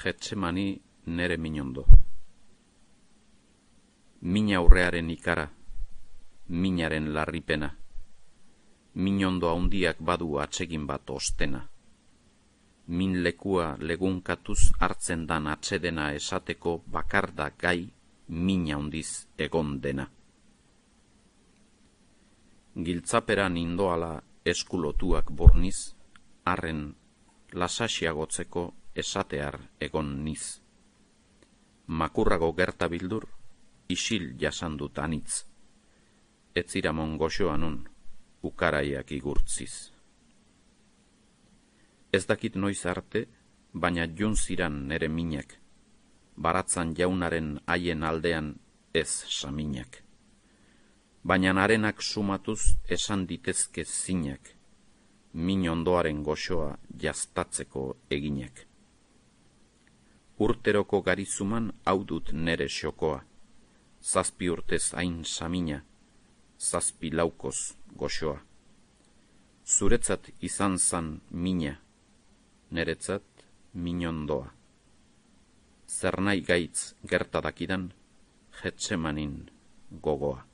Getsemani nere minondo. Min aurrearen ikara, minaren larripena, minondo haundiak badu atsegin bat ostena. Min lekua legunkatuz hartzen dan atsedena esateko bakarda gai min haundiz egon dena. Giltzaperan indoala eskulotuak borniz, arren lasasiagotzeko esatear egon niz. Makurrago gerta bildur, isil jasandut anitz. Etziramon goxoa nun, ukaraiak igurtziz. Ez dakit noiz arte, baina juntziran nere minak, baratzan jaunaren haien aldean ez saminak. Baina narenak sumatuz esan ditezke zinak, min ondoaren goxoa jaztatzeko eginak. Urteroko garizuman hau dut nere xokoa, 7 urtez hain samina, 7 laukoz goxoa. Zuretzat izan zan mina, neretzat min ondoa. Zer nahi gaitz gertadakidan, Getsemanin gogoa.